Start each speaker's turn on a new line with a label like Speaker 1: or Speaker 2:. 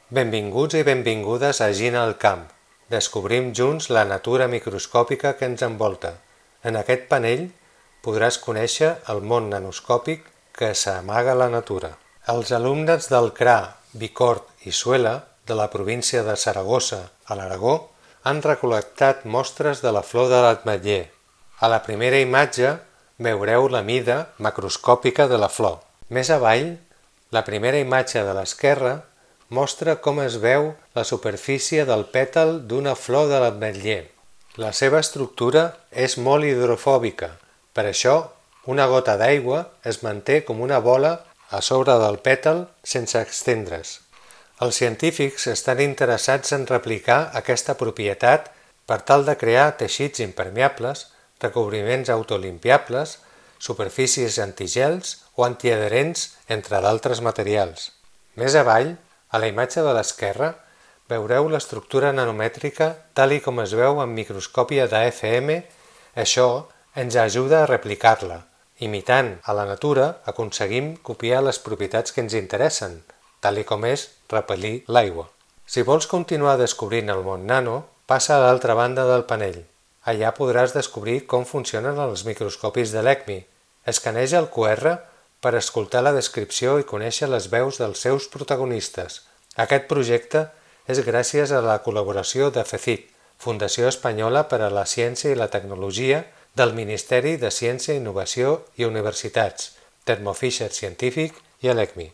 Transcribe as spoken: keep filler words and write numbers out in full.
Speaker 1: Benvinguts i benvingudes a Gina al camp. Descobrim junts la natura microscòpica que ens envolta. En aquest panell podràs conèixer el món nanoscòpic que s'amaga a la natura. Els alumnes del C R A, Bicorb i Suela, de la província de Saragossa, a l'Aragó, han recol·lectat mostres de la flor de l'ametller. A la primera imatge veureu la mida macroscòpica de la flor. Més avall, la primera imatge de l'esquerra mostra com es veu la superfície del pètal d'una flor de l'ametller. La seva estructura és molt hidrofòbica, per això una gota d'aigua es manté com una bola a sobre del pètal sense estendre's. Els científics estan interessats en replicar aquesta propietat per tal de crear teixits impermeables, recobriments autolimpiables, superfícies antigels o antiadherents, entre d'altres materials. Més avall, a la imatge de l'esquerra, veureu l'estructura nanomètrica tal i com es veu en microscòpia de F M. Això ens ajuda a replicar-la. Imitant a la natura, aconseguim copiar les propietats que ens interessen, tal i com és repel·lir l'aigua. Si vols continuar descobrint el món nano, passa a l'altra banda del panell. Allà podràs descobrir com funcionen els microscopis de l'ECMI. Escaneja el Q R per escoltar la descripció i conèixer les veus dels seus protagonistes. Aquest projecte és gràcies a la col·laboració de FECIT, Fundació Espanyola per a la Ciència i la Tecnologia del Ministeri de Ciència, Innovació i Universitats, Thermo Fisher Científic i l'ECMI.